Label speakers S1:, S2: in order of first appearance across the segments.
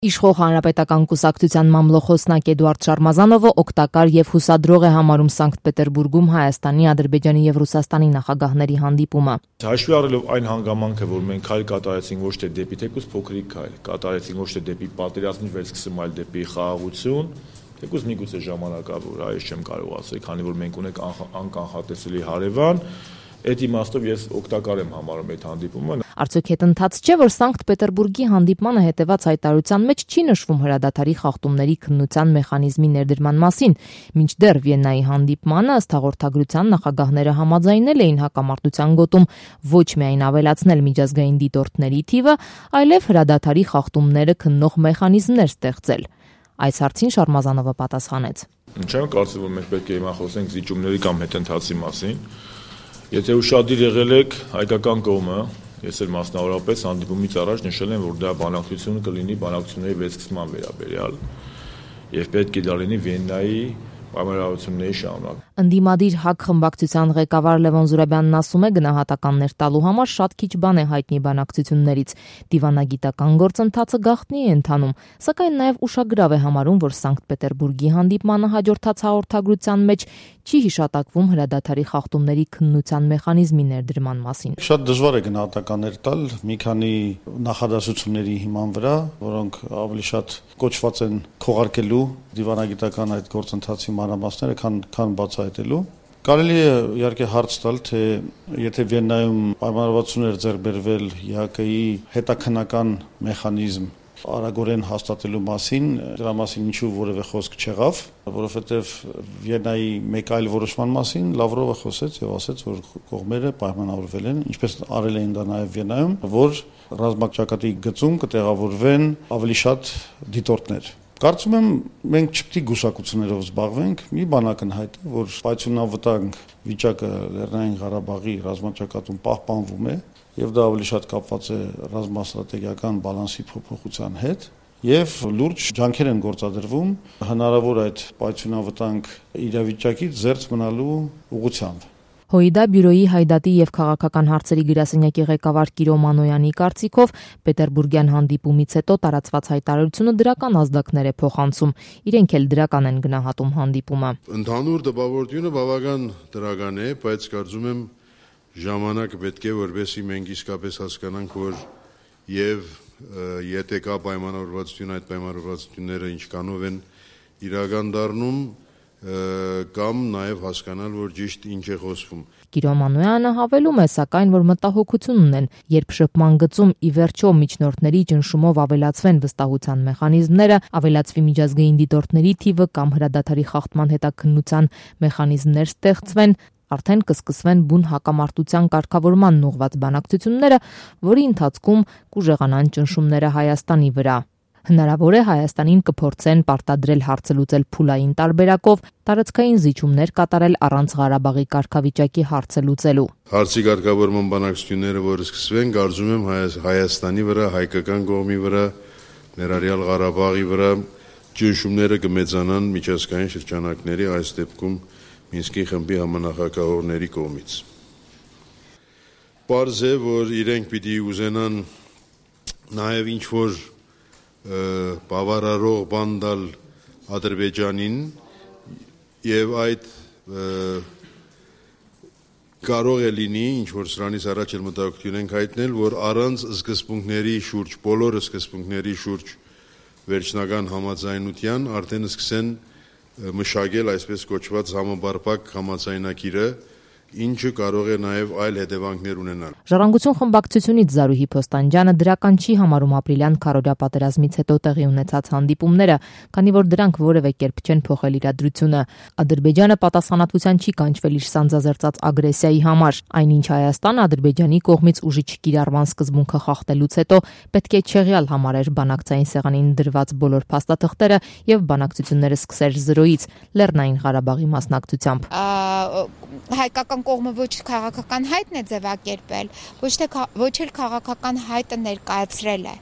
S1: Իշխող հանրապետական կուսակցության մամլոխոսնակ Էդուարդ Շարմազանովը օգտակար եւ հուսադրող է համարում Սանկտ Պետերբուրգում Հայաստանի, Ադրբեջանի եւ Ռուսաստանի նախագահների հանդիպումը։
S2: Հաշվի առնելով այն հանգամանքը, որ մենք քայլ կատարեցինք ոչ թե դեպի թեկուզ փոքրիկ քայլ, կատարեցինք ոչ թե դեպի պատերազմի վերսկսում, այլ դեպի խաղաղություն, թեկուզ միգուցե ժամանակավոր, այս չեմ կարող ասել, քանի որ մենք ունենք անկանխատեսելի հարևան, այդ իմաստով ես օգտակար եմ համարում այդ հանդիպումը։
S1: Արդյոք հետընթաց չէ, որ Սանկտ Պետերբուրգի հանդիպմանը հետևած հայտարարության մեջ չի նշվում հրադադարի խախտումների քննության մեխանիզմի ներդրման մասին, մինչդեռ Վիեննայի հանդիպմանը ըստ հաղորդագրության նախագահները համաձայնել էին հակամարտության գոտում ոչ միայն ավելացնել միջազգային դիտորդների թիվը, այլև հրադադարի խախտումները քննող մեխանիզմներ ստեղծել։ Այս հարցին Շարմազանովը պատասխանեց.
S2: Չեմ կարծում, որ մենք պետք է հիմա խոսենք զիջումների կամ հետընթացի մասին։ Եթե ուշադիր եղել եք հայկական կողմը, ես էլ մասնավորապես հանդիպումից առաջ նշել եմ, որ դա բանակցությունը կլինի բանակցությունների վերսկսման վերաբերյալ եւ պետք է դա լինի Վիեննայի պայմանավորվածությունների շարունակ։
S1: Ընդդիմադիր ՀԱԿ խմբակցության ղեկավար Լևոն Զուրաբյանն ասում է, գնահատականներ տալու համար շատ քիչ բան է հայտնի բանակցություններից։ Դիվանագիտական գործընթացը գաղտնի է ընթանում, սակայն նաև ուշագրավ է համարում, որ Սանկտ Պետերբուրգի հանդիպմանը հաջորդած հաղորդագրության մեջ չի հիշատակվում հրադադարի խախտումների քննության մեխանիզմի ներդրման մասին։
S3: Շատ դժվար է գնահատականներ տալ մի քանի նախադասությունների հիման վրա, որոնք ավելի շատ կոչված են քողարկելու դիվանագիտական այդ գործընթացի մանրամասները, քան բացահայտելու։ Կարելի է իհարկե հարց տալ, թե եթե Վիեննայում պայմանավորվածություններ ձեռք բերվել ՀԱԿ-ի հետաքննական մեխանիզմ արագորեն հաստատելու մասին, դրա մասին ինչու որևէ խոսք չեղավ, որովհետև Վիեննայի մեկ այլ որոշման մասին Լավրովը խոսեց եւ ասաց, որ կողմերը պայմանավորվել են, ինչպես արել էին դա նաեւ Վիեննայում, որ ռազմաճակատի գծում կտեղավորվեն ավելի շատ դիտորդներ։ Կարծում եմ, մենք չպետք է գուսակություններով զբաղվենք, մի բան ակնհայտ է, որ պայթյունավտանգ վիճակը Լեռնային Ղարաբաղի ռազմաճակատում պահպանվում է, եւ դա ավելի շատ կապված է ռազմաստրատեգիական բալանսի փոփոխության հետ, եւ լուրջ ջանքեր են գործադրվում հնարավոր այդ պայթյունավտանգ իրավիճակից զերծ մնալու ուղղությամբ։
S1: ՀՅԴ բյուրոյի հայդատի եւ քաղաքական հարցերի գրասենյակի ղեկավար Կիրո Մանոյանի կարծիքով Պետերբուրգյան հանդիպումից հետո տարածված հայտարարությունը դրական ազդակներ է փոխանցում, իրենք էլ դրական են գնահատում հանդիպումը։
S4: Ընդհանուր տպավորությունը բավական դրական է, բայց կարծում եմ ժամանակը պետք է որպեսզի մենք իսկապես հասկանանք, որ եւ եթե կա պայմանավորվածություն, այդ պայմանավորվածությունները ինչքանով են իրական դառնում կամ նաև հասկանալ, որ ճիշտ ինչ է խոսվում։
S1: Կիրո Մանոյանը հավելում է, սակայն, որ մտահոգություն ունեն, երբ շփման գծում ի վերջո միջնորդների ճնշումով ավելացվեն վստահության մեխանիզմները, ավելացվի միջազգային դիտորդների թիվը կամ հրադադարի խախտման հետաքննության մեխանիզմներ ստեղծվեն, արդեն կսկսվեն բուն հակամարտության կարգավորման ուղղված բանակցությունները, որի ընթացքում կուժեղանան ճնշումները Հայաստանի վրա։ Հնարավոր է Հայաստանին կփորձեն պարտադրել հարցը լուծել փուլային տարբերակով, տարածքային զիջումներ կատարել առանց Ղարաբաղի կարգավիճակի հարցը լուծելու։
S4: Հարցի կարգավորման բանակցությունները, որ սկսվեն, կարծում եմ Հայաստանի վրա, հայկական կողմի վրա, ներառյալ Ղարաբաղի վրա ճնշումները կմեծանան միջազգային շրջանակների, այս դեպքում Մինսկի խմբի համանախագահողների կողմից։ Պարզ է, որ իրենք պիտի ուզենան նաև ինչ-որ բավարարող բան տալ Ադրբեջանին եւ այդ կարող է լինի, ինչ-որ սրանից առաջ էլ մտահոգություն ենք հայտնել, որ առանց սկզբունքների շուրջ, բոլոր սկզբունքների շուրջ վերջնական համաձայնության արդեն սկսեն մշակել այսպես կոչված համապարփակ համաձայնագիրը, ինչը կարող է նաև այլ հետևանքներ ունենալ։
S1: Ժառանգություն խմբակցությունից Զարուհի Փոստանջյանը դրական չի համարում ապրիլյան քարոզիա պատերազմից հետո տեղի ունեցած հանդիպումները, քանի որ դրանք որևէ կերպ չեն փոխել իրադրությունը։ Ադրբեջանը պատասխանատվության չի կանչվել իր սանձազերծած ագրեսիայի համար, այնինչ Հայաստանը Ադրբեջանի կողմից ուժի չկիրառման սկզբունքը խախտելուց հետո պետք է չեղյալ համարեր բանակցային սեղանին դրված բոլոր փաստաթղթերը եւ բանակցությունները սկսեր զրոյից Լեռնային Ղարաբաղի մասնակցությամբ։
S5: Հայկական կողմը ոչ քաղաքական հայտն է ձևակերպել, ոչ էլ քաղաքական հայտը ներկայացրել է։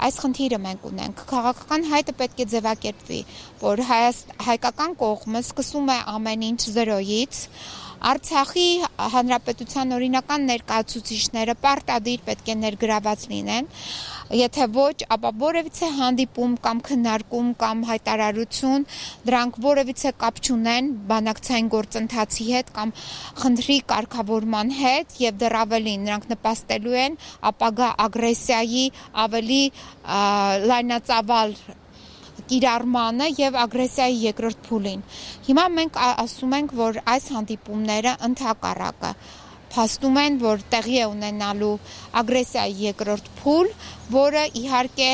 S5: Այս խնդիրը մենք ունենք։ Քաղաքական հայտը պետք է ձևակերպվի, որ հայկական կողմը սկսում է ամեն ինչ զրոյից, Արցախի հանրապետության օրինական ներկայացուցիչները պարտադիր պետք է ներգրաված լինեն, եթե ոչ, ապա որևիցե հանդիպում կամ քննարկում կամ հայտարարություն դրանք որևիցե կապ չունեն բանակցային գործընթացի հետ կամ խնդրի կարգավորման հետ եւ դեռ ավելին նրանք նպաստելու են ապագա ագրեսիայի ավելի լայնածավալ կիրառմանը եւ ագրեսիայի երկրորդ փուլին։ Հիմա մենք ասում ենք, որ այս հանդիպումները ընդհակառակը փաստում են, որ տեղի է ունենալու ագրեսիայի երկրորդ փուլ, որը իհարկե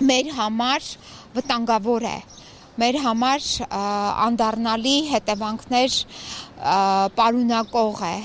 S5: մեր համար վտանգավոր է, մեր համար անդառնալի հետևանքներ պարունակող է։